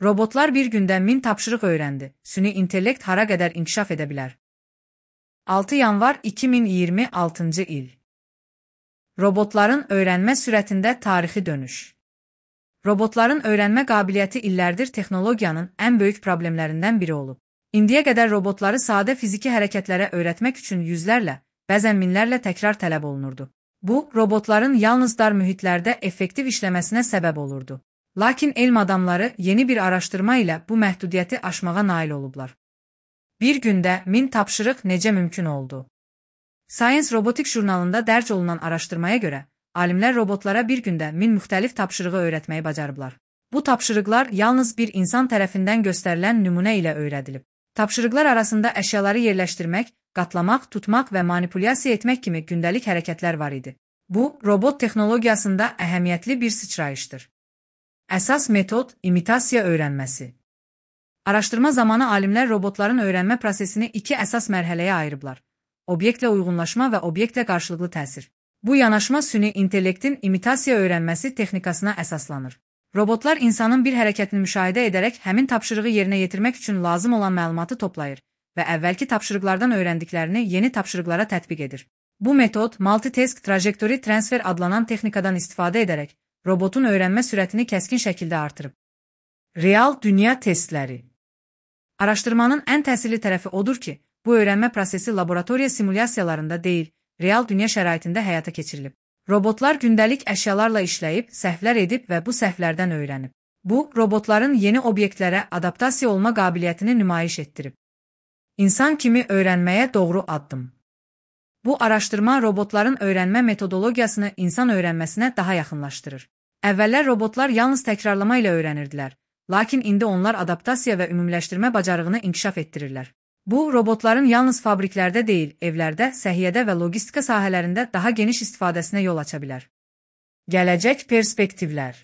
Robotlar bir gündə 1000 tapşırıq öyrəndi. Süni intellekt hara qədər inkişaf edə bilər? 6 yanvar 2026-cı il. Robotların öyrənmə sürətində tarixi dönüş. Robotların öyrənmə qabiliyyəti illərdir texnologiyanın ən böyük problemlərindən biri olub. İndiyə qədər robotları sadə fiziki hərəkətlərə öyrətmək üçün yüzlərlə, bəzən minlərlə təkrar tələb olunurdu. Bu, robotların yalnız dar mühitlərdə effektiv işləməsinə səbəb olurdu. Lakin elm adamları yeni bir araşdırma ilə bu məhdudiyyəti aşmağa nail olublar. Bir gündə 1000 tapşırıq necə mümkün oldu? Science Robotics jurnalında dərc olunan araşdırmaya görə, alimlər robotlara bir gündə 1000 müxtəlif tapşırığı öyrətməyi bacarıblar. Bu tapşırıqlar yalnız bir insan tərəfindən göstərilən nümunə ilə öyrədilib. Tapşırıqlar arasında əşyaları yerləşdirmək, qatlamaq, tutmaq və manipulyasiya etmək kimi gündəlik hərəkətlər var idi. Bu, robot texnologiyasında əhəmiyyətli bir sıçrayışdır. Əsas metod imitasiya öyrənməsi. Araşdırma zamanı alimlər robotların öyrənmə prosesini iki əsas mərhələyə ayırıblar. Obyektlə uyğunlaşma və obyektlə qarşılıqlı təsir. Bu yanaşma süni intellektin imitasiya öyrənməsi texnikasına əsaslanır. Robotlar insanın bir hərəkətini müşahidə edərək həmin tapşırığı yerinə yetirmək üçün lazım olan məlumatı toplayır və əvvəlki tapşırıqlardan öyrəndiklərini yeni tapşırıqlara tətbiq edir. Bu metod Multitask Trajectory Transfer adlanan texnikadan istifadə edərək robotun öyrənmə sürətini kəskin şəkildə artırıb. Real dünya testləri. Araşdırmanın ən təsirli tərəfi odur ki, bu öyrənmə prosesi laboratoriya simulyasiyalarında deyil, real dünya şəraitində həyata keçirilib. Robotlar gündəlik əşyalarla işləyib, səhvlər edib və bu səhvlərdən öyrənib. Bu, robotların yeni obyektlərə adaptasiya olma qabiliyyətini nümayiş etdirib. İnsan kimi öyrənməyə doğru addım. Bu araşdırma robotların öyrənmə metodologiyasını insan öyrənməsinə daha yaxınlaşdırır. Əvvəllər robotlar yalnız təkrarlama ilə öyrənirdilər, lakin indi onlar adaptasiya və ümumiləşdirmə bacarığını inkişaf etdirirlər. Bu, robotların yalnız fabriklərdə deyil, evlərdə, səhiyyədə və logistika sahələrində daha geniş istifadəsinə yol aça bilər. Gələcək perspektivlər.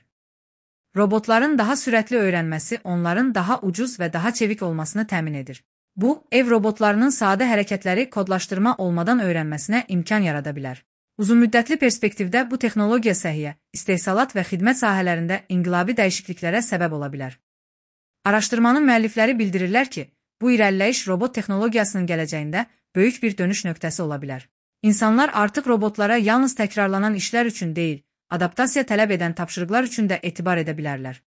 Robotların daha sürətli öyrənməsi onların daha ucuz və daha çevik olmasını təmin edir. Bu, ev robotlarının sadə hərəkətləri kodlaşdırma olmadan öyrənməsinə imkan yarada bilər. Uzunmüddətli perspektivdə bu texnologiya səhiyyə, istehsalat və xidmət sahələrində inqilabi dəyişikliklərə səbəb ola bilər. Araşdırmanın müəllifləri bildirirlər ki, bu irəliləyiş robot texnologiyasının gələcəyində böyük bir dönüş nöqtəsi ola bilər. İnsanlar artıq robotlara yalnız təkrarlanan işlər üçün deyil, adaptasiya tələb edən tapşırıqlar üçün də etibar edə bilərlər.